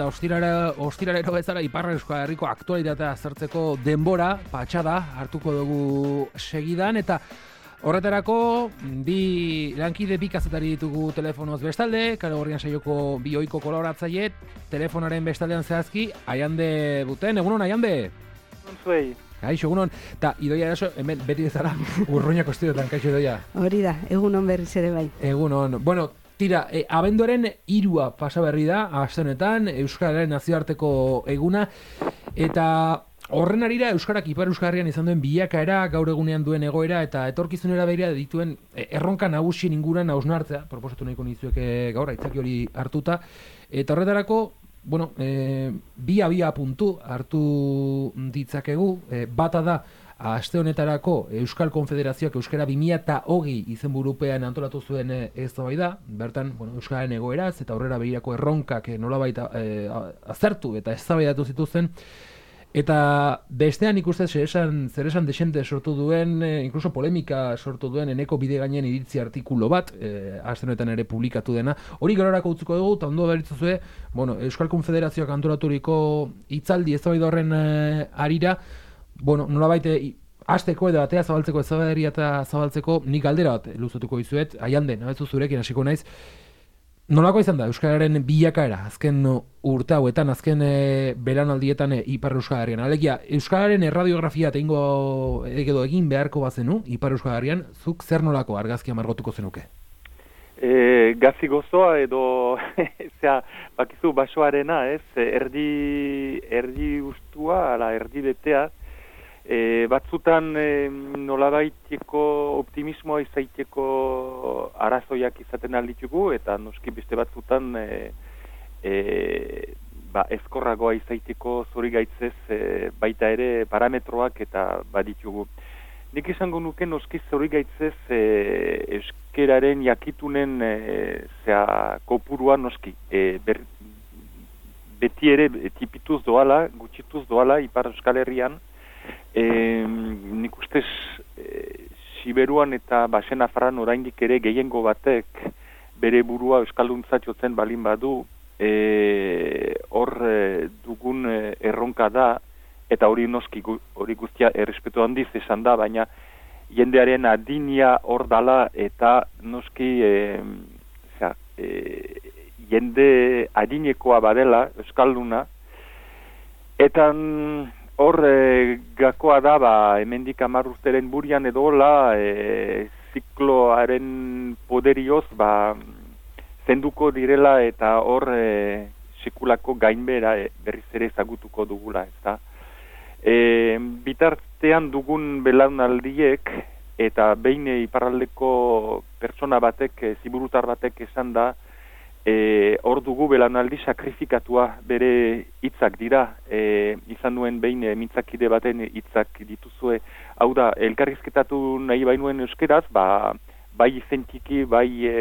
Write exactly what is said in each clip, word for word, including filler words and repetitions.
Ostirara, ostirarero bezala Ipar Euskal Herriko aktualitatea aztertzeko denbora, patxada, hartuko dugu segidan, eta horretarako bi lankide bi kazetari ditugu telefonoz bestalde, Kale Gorrian saioko bi ohiko kolaboratzaile, telefonaren bestaldean zehazki, Aiande Buten, egunon Aiande? Egunon. Kaixo, egunon, eta Idoia eraso, hemen beti bezala, urruñako estudiotan, kaixo Idoia? Hori da, egunon berriz ere bai. Egunon, bueno, tira, e, abenduaren hirua pasa berri da, aste honetan, Euskararen nazioarteko eguna, eta horren arira Euskarak Ipar Euskal Herrian izan duen bilakaera, gaur egunean duen egoera, eta etorkizunera begira dituen erronka nagusien inguruan hausnartzea, proposatu nahiko nizueke gaur, aitzaki hori hartuta, eta horretarako, bueno, e, bi abia puntu hartu ditzakegu, e, bata da, aste honetarako Euskal Konfederazioak Euskara bi mila hogei izenburupean antolatu zuen eztabaida, bertan, bueno, Euskararen egoeraz eta aurrera begirako erronkak nolabait e, azertu eta eztabaidatu zituzten, eta bestean ikusten zer esan, zer esan desente sortu duen, e, inkluso polemika sortu duen Eneko Bidegainen iritzi artikulo bat, e, aste honetan ere publikatu dena, hori gerorako utziko dugu, eta ondo beritzuzue, bueno, Euskal Konfederazioak antolaturiko hitzaldi eztabaida horren e, arira, bueno, nolabait hasteko edo atea zabaltzeko eztabaidaria eta zabaltzeko nik galdera bat luzatuko dizuet, Aiande, nabezu zurekin hasiko naiz. Nolako izan da Euskararen bilakaera azken urte hauetan, azken e, beranaldietan e, Ipar Euskal Herrian? Alegia, Euskararen erradiografia egingo edo egin beharko bazenu Ipar Euskal Herrian, zuk zer nolako argazkia margotuko zenuke? E, gazi gozoa edo zera, bakizu basoarena, ez? Erdi, erdi ustua, ala erdi betea, E, batzutan e, nolabaiteko optimismoa izaiteko arazoiak izaten alditugu, eta noski beste batzutan e, e, ba, ezkorragoa izaiteko zori gaitzez e, baita ere parametroak eta baditugu. Nik izango nuke noski zori gaitzez e, euskeraren jakitunen e, zera, kopurua noski. E, ber, beti ere tipituz doala, gutxituz doala Ipar Euskal Herrian, E, nik ustez e, Siberuan eta Basen Afarran oraindik ere gehiengo batek bere burua euskalduntzat jotzen balin badu, e, hor e, dugun e, erronka da, eta hori noski hori guztia errespetu handiz esan da, baina jendearen adinia hor dala, eta noski e, zera, e, jende adinekoa badela euskalduna, eta hor, e, gakoa da, ba, hemendik hamar urteren burian edo hola, e, zikloaren poderioz, ba, zenduko direla eta hor e, sekulako gainbera e, berriz ere ezagutuko dugula, ezta. E, bitartean dugun belaunaldiek, eta behin iparraldeko pertsona batek, e, ziburutar batek esan da, E, hor dugu belaunaldi sakrifikatua bere hitzak dira, e, izan nuen behin e, mintzakide baten hitzak dituzue, hau da, elkarrizketatu nahi bainuen euskeraz, ba, bai izentiki, bai e,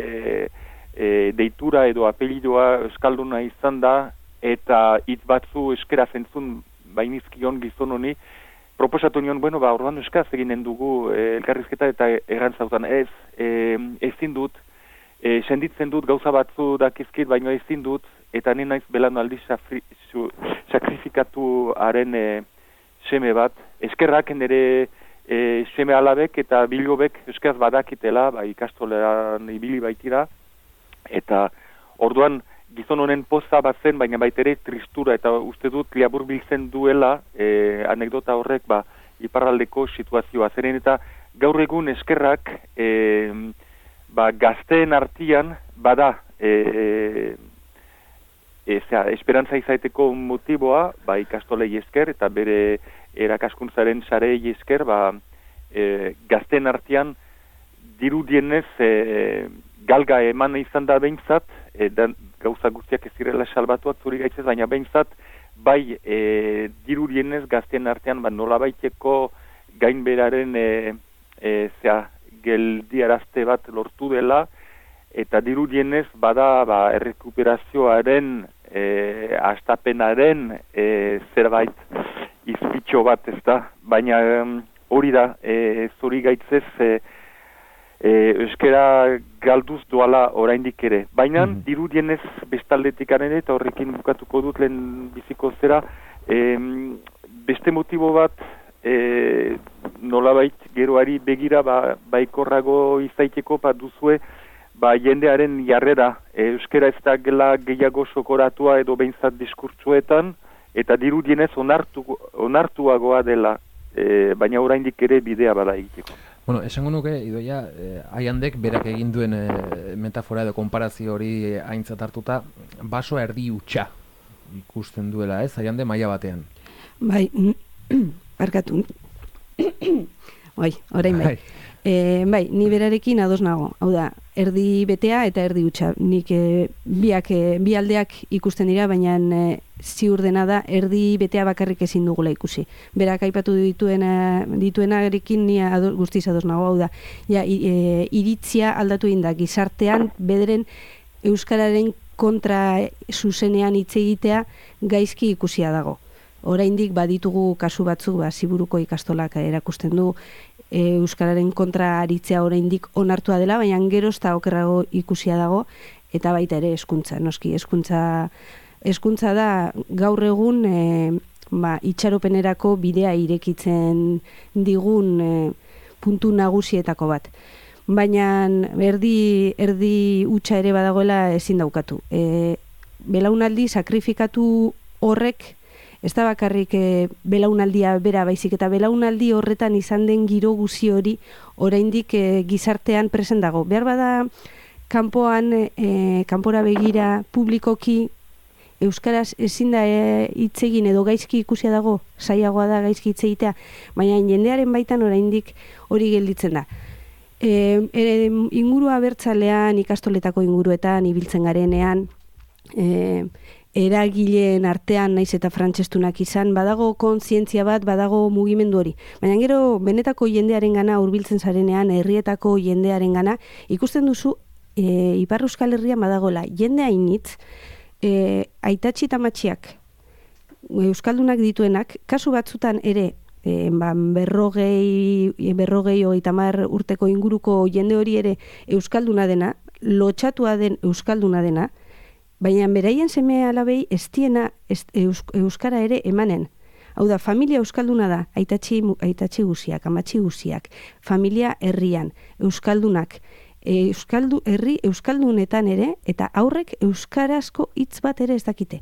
e, deitura edo apelidoa euskalduna izan da, eta hitz batzu euskera zentzun bainizkion gizon honi, proposatu nion, bueno, ba, orduan euskaraz eginen dugu e, elkarrizketa, eta errantzautan ez, e, ezin dut, E, senditzen dut gauza batzu dakizkit, baino ezin dut, eta ni naiz belaunaldi sakrifikatuaren e, seme bat. Eskerrak nire e, seme alabek eta bilobek euskaraz badakitela, ba, ikastolean ibili baitira, eta orduan gizon honen poza bat zen, baina baitere tristura, eta uste dut liabur biltzen duela e, anekdota horrek ba, iparraldeko situazioa. Zeren eta gaur egun eskerrak e, ba, gazteen artian bada e, e, zera, esperantza izaiteko motiboa, ba, ikastolei esker eta bere erakaskuntzaren sarei esker, ba, e, gazteen artian dirudienez e, galga eman izan da behintzat, e, da, gauza guztiak ez direla salbatuak zuri gaitzez, baina behintzat bai e, dirudienez gazteen artean ba, nolabaiteko gainberaren e, e, zera, geldiarazte bat lortu dela, eta dirudienez bada ba, errekuperazioaren e, astapenaren e, zerbait izpitxo bat, ez da, baina hori da, e, zuri gaitzez e, e, euskera galduz doala oraindik ere. Baina, Mhm. dirudienez bestaldetik ere, eta horrekin bukatuko dut lehen biziko zera, e, beste motibo bat, e, nolabait geroari begira ba, baikorrago izaiteko ba duzue ba jendearen jarrera. E, euskera ez da gela gehiago sokoratua edo behintzat diskurtsuetan, eta dirudienez onartu, onartuagoa dela, e, baina oraindik ere bidea bada egiteko. Bueno, esango nuke, Idoia, eh, Aiandek berak egin duen eh, metafora edo konparazio hori aintzat hartuta, basoa erdi hutsa ikusten duela, ez? Aiande maila batean. Bai, barkatu. Bai, orain bai. Bai. E, bai, ni berarekin ados nago. Hau da, erdi betea eta erdi hutsa. Nik e, biak, e, bi aldeak ikusten dira, baina e, ziur dena da erdi betea bakarrik ezin dugula ikusi. Berak aipatu dituena, dituenarekin ni ado, guztiz ados nago. Hau da, ja, i, e, iritzia aldatu egin da, gizartean bederen euskararen kontra zuzenean hitz egitea gaizki ikusia dago. Oraindik baditugu kasu batzuk, ba, Ziburuko ikastolak erakusten du, e, euskararen kontra aritzea oraindik onartua dela, baina geroz eta okerrago ikusia dago, eta baita ere hezkuntza, noski, hezkuntza hezkuntza da gaur egun e, ba, itxaropenerako bidea irekitzen digun e, puntu nagusietako bat. Baina erdi, erdi hutsa ere badagoela ezin daukatu. E, belaunaldi sakrifikatu horrek ez da bakarrik e, belaunaldia bera baizik, eta belaunaldi horretan izan den giro guzi hori oraindik e, gizartean present dago. Behar bada kanpoan, e, kanpora begira publikoki euskaraz ezin da hitz egin edo gaizki ikusia dago, saiagoa da gaizki hitz egitea, baina jendearen baitan oraindik hori gelditzen da. E, ere, ingurua abertzalean, ikastoletako inguruetan, ibiltzen garenean, e, eragileen artean naiz eta frantsestunak izan, badago kontzientzia bat, badago mugimendu hori. Baina gero, benetako jendearen gana hurbiltzen zarenean, herrietako jendearen gana, ikusten duzu, e, Ipar Euskal Herrian badagola, jende hainitz, e, aitatxi eta matxiak, euskaldunak dituenak, kasu batzutan ere, E, ba, berrogei, berrogei hogeita hamar urteko inguruko jende hori ere euskalduna dena, lotxatua den euskalduna dena, baina beraien seme alabei ez diena ez, eus, euskara ere emanen. Hau da, familia euskalduna da, aitatxi, aitatxi guziak, amatxi guziak, familia herrian, euskaldunak, e, euskaldu, herri euskaldunetan ere, eta aurrek euskarazko hitz bat ere ez dakite.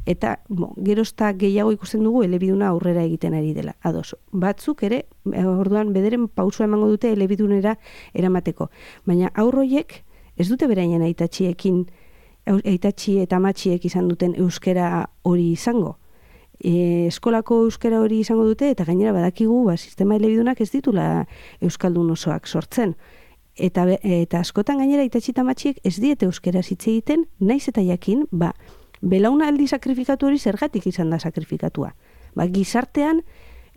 Eta bo, gerozta gehiago ikusten dugu elebiduna aurrera egiten ari dela. Ados, batzuk ere, orduan bederen pausua emango dute elebidunera eramateko. Baina aurroiek ez dute beraien aitatxiekin, aitatxi eta amatxiek izan duten euskera hori izango. E, eskolako euskara hori izango dute, eta gainera badakigu, ba, sistema elebidunak ez ditula euskaldun osoak sortzen. Eta, eta askotan gainera aitatxi eta amatxiek ez diete euskera hitz egiten, naiz eta jakin, ba, belaunaldi sakrifikatu hori zergatik izan da sakrifikatua. Ba, gizartean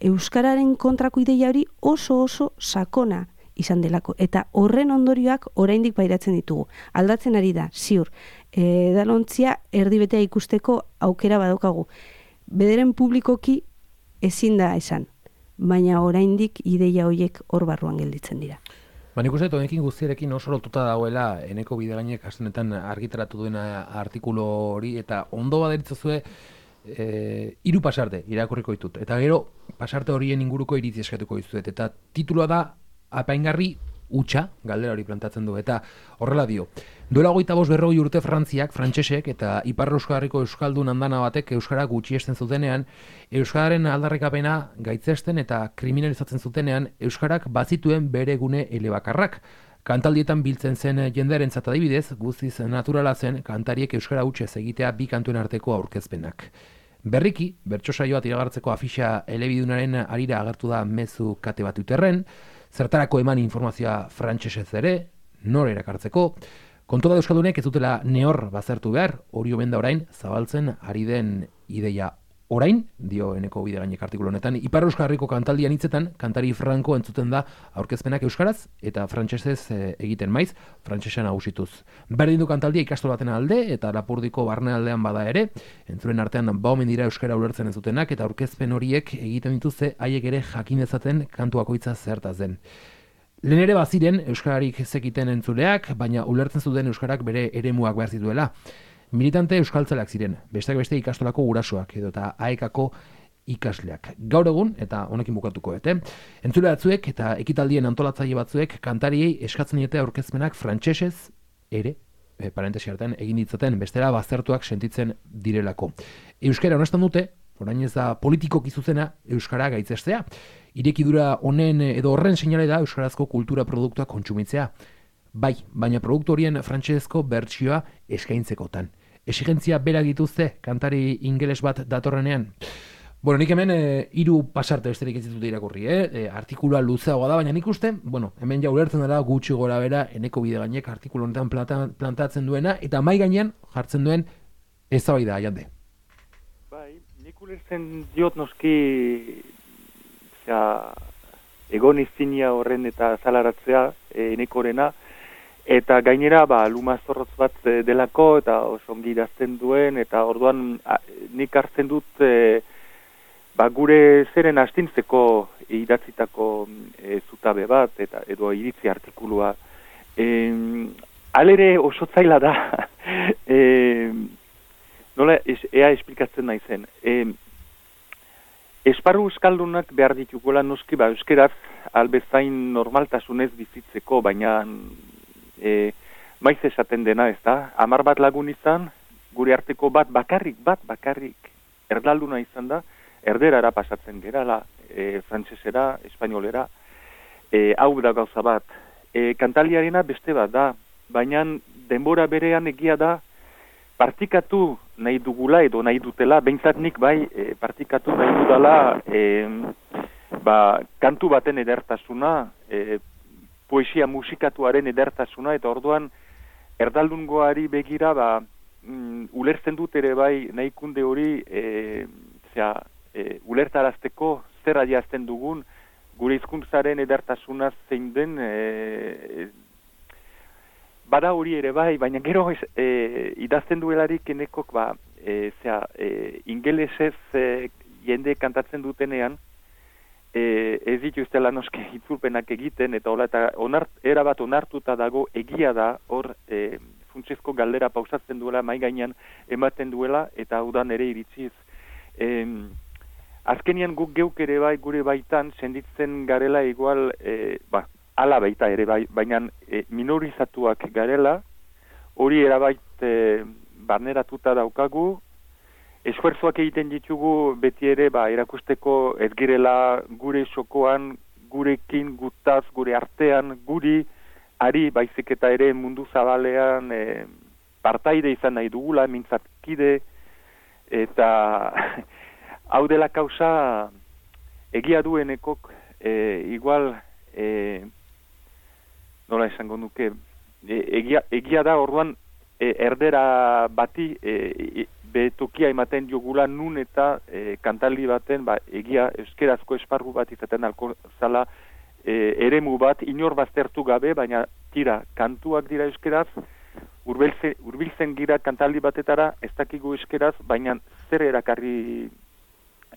euskararen kontrako ideia hori oso oso sakona izan delako. Eta horren ondorioak oraindik pairatzen ditugu. Aldatzen ari da, ziur. E, dalontzia erdibetea ikusteko aukera badaukagu. Bederen publikoki ezin da esan. Baina oraindik ideia horiek hor barruan gelditzen dira. Ba, nik uste, honekin guztiarekin oso lotuta dagoela Eneko Bidegainek astenetan argitaratu duena artikulu hori, eta ondo baderitzazue e, hiru pasarte irakurriko ditut. Eta gero, pasarte horien inguruko iritzi eskatuko dizuet. Eta titulua da, apaingarri hutsa, galdera hori plantatzen du. Eta horrela dio, duela hogeita bost berrogei urte Frantziak, frantsesek eta Ipar Euskal Herriko euskaldun andana batek euskara gutxiesten zutenean, euskararen aldarrikapena gaitzesten eta kriminalizatzen zutenean, euskarak bazituen bere gune elebakarrak. Kantaldietan biltzen zen jendearentzat adibidez, guztiz naturala zen kantariek euskara hutsez egitea bi kantuen arteko aurkezpenak. Berriki, bertso saioa iragartzeko afixa elebidunaren arira agertu da mezu kate bat uterren, zertarako eman informazioa frantsesez ere, nor erakartzeko, kontua da euskaldunek ez dutela nehor bazertu behar, hori omen da orain zabaltzen ari den ideia. Orain, dio Eneko Bidegainek artikulu honetan, Ipar Euskal Herriko kantaldian hitzetan, kantari franko entzuten da aurkezpenak euskaraz eta frantsesez e, egiten maiz, frantsesa nagusituz. Berdin du kantaldia ikastola baten alde eta Lapurdiko barnealdean bada ere, entzuren artean ba omen dira euskara ulertzen ez dutenak eta aurkezpen horiek egiten dituzte haiek ere jakin dezaten kantu bakoitza zertaz den. Lehen ere baziren euskararik zekiten entzuleak, baina ulertzen zuten euskarak bere eremuak behar zituela. Militante euskaltzaleak ziren, besteak beste ikastolako gurasoak edo eta aekako ikasleak. Gaur egun, eta honekin bukatuko bete, entzule batzuek eta ekitaldien antolatzaile batzuek kantariei eskatzen diete aurkezpenak frantsesez ere, e, parentesi artean egin ditzaten, bestela baztertuak sentitzen direlako. Euskara honestan dute, orain ez da politikoki zuzena euskara gaitzestea. Irekidura honen edo horren seinale da euskarazko kultura produktua kontsumitzea. Bai, baina produktu horien frantsesezko bertsioa eskaintzekotan. Exigentzia berak dituzte kantari ingeles bat datorrenean. Bueno, nik hemen e, hiru pasarte besterik ez ditut irakurri, eh? E, artikulua luzeagoa da, baina nik uste, bueno, hemen ja ulertzen dela gutxi gora bera Eneko Bidegainek artikulu honetan planta, plantatzen duena, eta mai gainean jartzen duen eztabaida Jande. Bai, nik ulertzen diot noski ja, egon izinia horren eta zalaratzea e, Enekorena, eta gainera ba, luma zorrotz bat e, delako eta oso ongi idazten duen, eta orduan a, nik hartzen dut e, ba, gure zeren astintzeko idatzitako e, zutabe bat, eta edo iritzi artikulua. E, alere oso zaila da, e, nola es, ea esplikatzen naizen. E, Esparru euskaldunak behar ditugola noski ba euskeraz albezain normaltasunez bizitzeko, baina e, maiz esaten dena, ez da? Hamar bat lagun izan, gure arteko bat bakarrik, bat bakarrik erdalduna izan da, erderara pasatzen gerala, e, frantsesera, espainolera, e, hau da gauza bat. E, kantaliarena beste bat da, baina denbora berean egia da, partikatu nahi dugula edo nahi dutela, behintzat nik bai e, partikatu nahi dudala e, ba, kantu baten edertasuna, e, poesia musikatuaren edertasuna, eta orduan erdaldungoari begira ba, mm, ulertzen dut ere bai nahikunde hori e, zera, e, ulertarazteko zer adiazten dugun gure hizkuntzaren edertasuna zein den e, bada hori ere bai, baina gero e, idazten duelarik Enekok ba, e, zera, e, ingelesez e, jende kantatzen dutenean, e, ez dituztela noske itzulpenak egiten, eta hola, eta onart, erabat onartuta dago egia da, hor e, funtsezko galdera pausatzen duela, mai gainean ematen duela, eta udan ere iritziz. E, azkenian guk geuk ere bai, gure baitan, senditzen garela igual, e, ba, ala baita ere, bai, baina e, minorizatuak garela, hori erabait e, barneratuta daukagu, esfuerzoak egiten ditugu beti ere ba, erakusteko ez girela gure sokoan, gurekin, gutaz, gure artean, guri, ari baizik eta ere mundu zabalean e, partaide izan nahi dugula, mintzatkide, eta hau dela kausa egia duenekok, e, igual, e, nola esango nuke, e, egia, egia da orduan e, erdera bati e, betokia ematen diogula nun eta e, kantaldi baten ba, egia euskerazko esparru bat izaten alko zala e, eremu bat inor baztertu gabe, baina tira, kantuak dira euskeraz, urbiltzen, urbiltzen gira kantaldi batetara, ez dakigu euskeraz, baina zer erakarri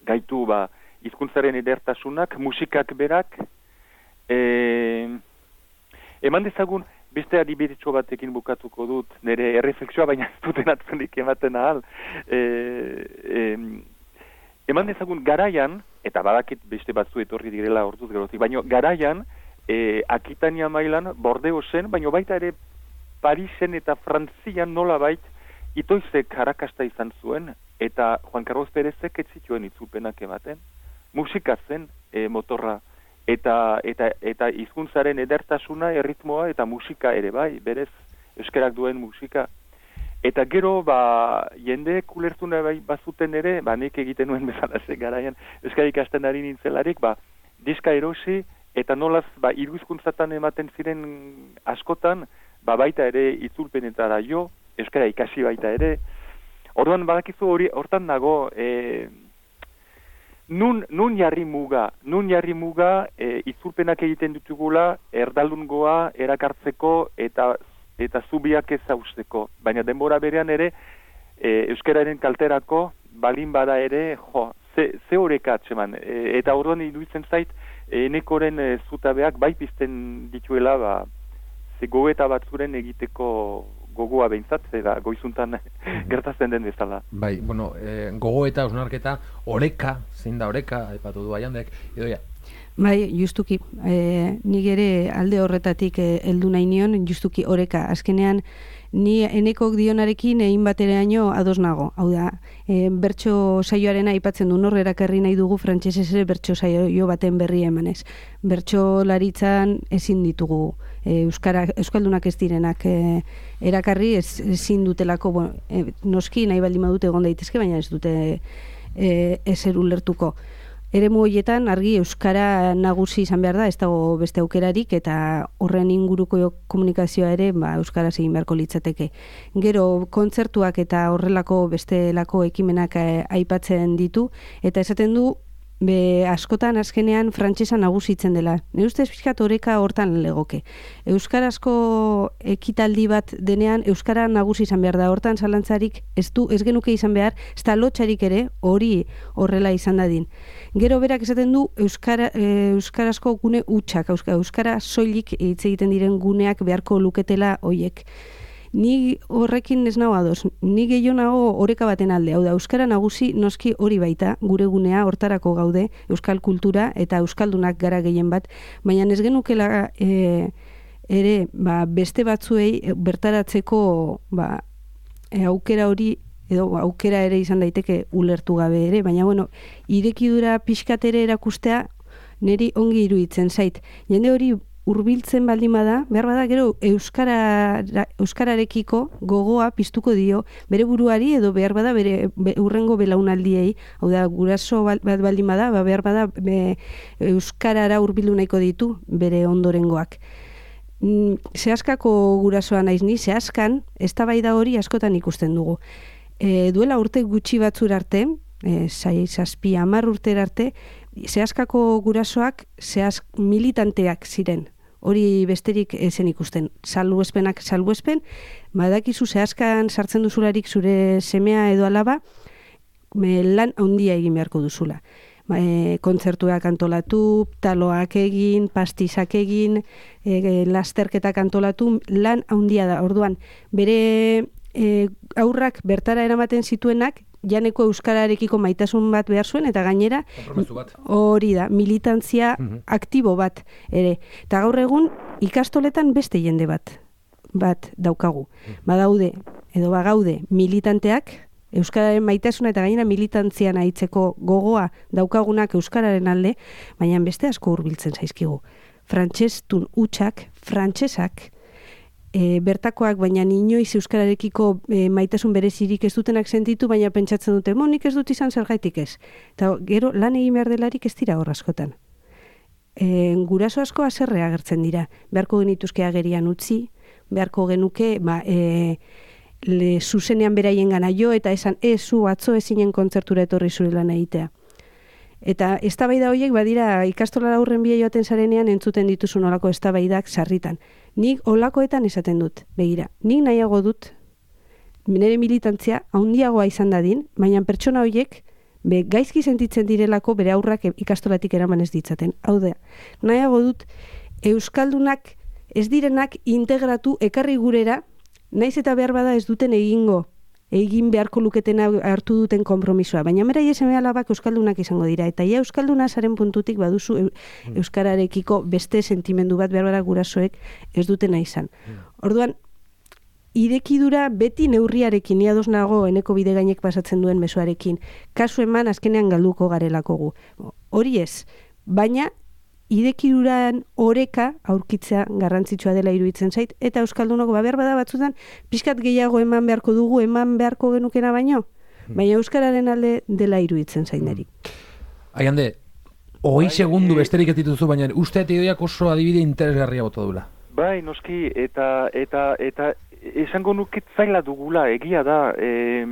gaitu ba, hizkuntzaren edertasunak, musikak berak, e, eman dezagun, beste adibidetxo batekin bukatuko dut, nire erreflexioa baina ez duten atzunik ematen ahal. E, e, eman dezagun garaian, eta badakit beste batzu etorri direla orduz gerotik, baina garaian, e, Akitania mailan, Bordeosen, baina baita ere Parisen eta Frantzian nola bait, itoizek harakasta izan zuen, eta Juan Carlos Perezek ez zituen itzulpenak ematen, musika zen e, motorra, eta eta eta hizkuntzaren edertasuna, erritmoa eta musika ere bai, berez euskarak duen musika. Eta gero ba jendeek ulertu nahi bai bazuten ere, ba nik egiten nuen bezala ze garaian euskara ikasten ari nintzelarik, ba diska erosi eta nolaz ba hiru hizkuntzatan ematen ziren askotan, ba baita ere itzulpenetara jo, euskara ikasi baita ere. Orduan badakizu hori hortan dago e, Nun, nun jarri muga, nun jarri muga e, itzulpenak egiten ditugula erdaldungoa erakartzeko eta eta zubiak ez zausteko. Baina denbora berean ere e, euskararen kalterako balin bada ere, jo, ze, ze horreka atxeman. E, eta orduan iruditzen zait enekoren e, zutabeak bai pizten dituela, ba, ze gogoeta batzuren egiteko gogoa behintzat, eta goizuntan gertatzen den bezala. Bai, bueno, e, gogoeta, osnarketa, oreka, zein da oreka, aipatu du Aiandek, Idoia. Bai, justuki, e, nik ere alde horretatik heldu nahi nion, justuki oreka, azkenean ni enekok dionarekin egin bateraino ados nago. Hau da, e, bertso saioaren aipatzen du nor erakarri nahi dugu frantsesez ere bertso saio baten berri emanez. Bertso laritzan ezin ditugu e, euskara euskaldunak ez direnak e, erakarri ez, ezin dutelako, bueno, e, noski nahi baldin badute egon daitezke, baina ez dute e, ezer ulertuko. Eremu horietan argi euskara nagusi izan behar da, ez dago beste aukerarik, eta horren inguruko komunikazioa ere ba, euskaraz egin beharko litzateke. Gero kontzertuak eta horrelako bestelako ekimenak eh, aipatzen ditu, eta esaten du be, askotan azkenean frantsesa nagusitzen dela. Nire ustez pixkat oreka hortan legoke. Euskarazko ekitaldi bat denean euskara nagusi izan behar da, hortan zalantzarik ez du ez genuke izan behar, ez da lotxarik ere hori horrela izan dadin. Gero berak esaten du euskara, e, euskarazko gune hutsak, euskara soilik hitz egiten diren guneak beharko luketela hoiek. Ni horrekin ez nago ados, ni gehiago nago oreka baten alde, hau da, euskara nagusi noski hori baita, gure gunea hortarako gaude, euskal kultura eta euskaldunak gara gehien bat, baina ez genukela e, ere ba, beste batzuei bertaratzeko ba, e, aukera hori, edo aukera ere izan daiteke ulertu gabe ere, baina bueno, irekidura pixkatere erakustea niri ongi iruditzen zait. Jende hori hurbiltzen baldin bada, behar bada gero euskara, euskararekiko gogoa piztuko dio bere buruari edo behar bada bere be, urrengo belaunaldiei, hau da guraso bat baldin bada, ba, behar bada be, euskarara hurbildu nahiko ditu bere ondorengoak. Mm, zehaskako gurasoa naiz ni, zehaskan, eztabaida hori askotan ikusten dugu. E, duela urte gutxi batzur arte, e, zai, zazpi, hamar urtera arte, zehaskako gurasoak zehaz militanteak ziren. Hori besterik ezen ikusten. Salbuespenak salbuespen, badakizu zehazkan sartzen duzularik zure semea edo alaba, me, lan handia egin beharko duzula. E, kontzertuak antolatu, taloak egin, pastizak egin, e, lasterketak antolatu, lan handia da. Orduan, bere e, aurrak bertara eramaten zituenak, janeko euskararekiko maitasun bat behar zuen, eta gainera hori da, militantzia mm-hmm. aktibo bat ere. Eta gaur egun ikastoletan beste jende bat bat daukagu. Mm. Badaude, edo bagaude militanteak, euskararen maitasuna eta gainera militantzian aitzeko gogoa daukagunak euskararen alde, baina beste asko hurbiltzen zaizkigu. Frantsestun hutsak, frantsesak, E, bertakoak, baina inoiz euskararekiko e, maitasun berezirik ez dutenak sentitu, baina pentsatzen dute, mo, nik ez dut izan zergaitik ez. Eta gero lan egin behar delarik ez dira hor askotan. E, guraso asko haserre agertzen dira. Beharko genituzke agerian utzi, beharko genuke, ba, e, le, zuzenean beraien gana jo, eta esan, ez zu atzo ezinen kontzertura etorri zure lan egitea. Eta eztabaida horiek badira ikastolara aurren bia joaten zarenean entzuten dituzu nolako eztabaidak sarritan. Nik olakoetan esaten dut, begira, nik nahiago dut, nire militantzia handiagoa izan dadin, baina pertsona horiek be, gaizki sentitzen direlako bere aurrak ikastolatik eraman ez ditzaten. Hau da, nahiago dut, euskaldunak ez direnak integratu ekarri gurera, naiz eta behar bada ez duten egingo, egin beharko luketena hartu duten konpromisoa. Baina mera ieseme alabak euskaldunak izango dira. Eta ia euskalduna zaren puntutik baduzu e, euskararekiko beste sentimendu bat behar bara gurasoek ez dutena izan. Orduan, irekidura beti neurriarekin, ni ados nago eneko bide gainek pasatzen duen mezuarekin. Kasu eman azkenean galduko garelako gu. Hori ez, baina idekiduran oreka aurkitzea garrantzitsua dela iruditzen zait, eta euskaldunok ba behar bada batzutan pixkat gehiago eman beharko dugu, eman beharko genukena baino, baina euskararen alde dela iruditzen zait neri. Aiande, hogei segundu besterik ez dituzu, baina uste eta Idoiak oso adibide interesgarria bota dula. Bai, noski, eta eta eta esango nuket zaila dugula, egia da, e,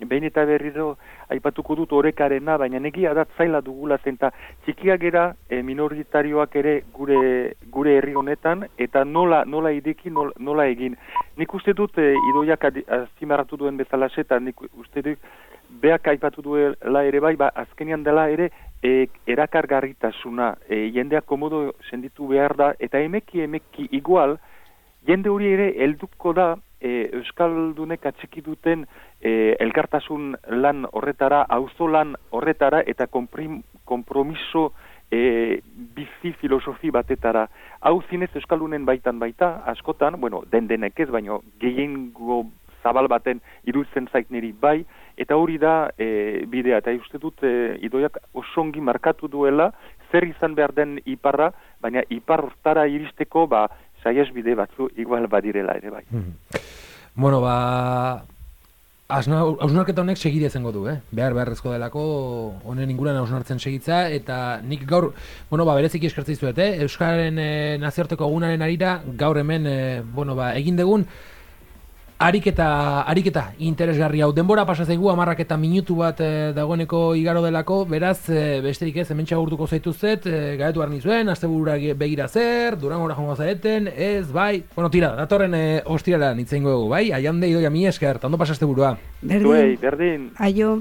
behin eta berriro aipatuko dut orekarena, baina egia da zaila dugula zen, eta txikiak gera e, minoritarioak ere gure gure herri honetan, eta nola nola ideki, nola, nola egin. Nik uste dut, e, Idoiak azpimarratu duen bezala eta nik uste dut, beak aipatu duela ere bai, ba, azkenean dela ere e, erakargarritasuna, e, jendeak komodo senditu behar da, eta emeki emeki igual, jende hori ere helduko da e, Euskaldunek atxiki duten e, elkartasun lan horretara, auzo lan horretara, eta komprim, kompromiso e, bizi filosofi batetara. Hau zinez Euskaldunen baitan baita, askotan, bueno, den denek ez, baino gehiengo zabal baten iruditzen zait niri bai, eta hori da e, bidea, eta uste dut e, Idoiak osongi markatu duela, zer izan behar den iparra, baina ipar hortara iristeko, ba, saiez bide batzu igual badirela ere bai. Mm. Bueno, ba, hausnarketa honek segide zengo du, eh? Behar beharrezko delako honen inguruan hausnartzen segitza, eta nik gaur, bueno, ba, bereziki eskertzen dizuet, eh? Euskararen e, nazioarteko egunaren arira, gaur hemen, e, bueno, ba, egin degun, Ariketa, ariketa interesgarri hau. Denbora pasa zaigu hamarrak eta minutu bat e, dagoeneko igaro delako, beraz, e, besterik ez, hemen txagurtuko zaituzet, e, gaetu behar nizuen, asteburura begira zer, Durangora jongo zareten, ez, bai, bueno, tira, datorren e, ostirala nitzeingo dugu, bai, aian de Idoia mi esker, ondo pasa asteburua. Berdin. Zuei, berdin. Aio.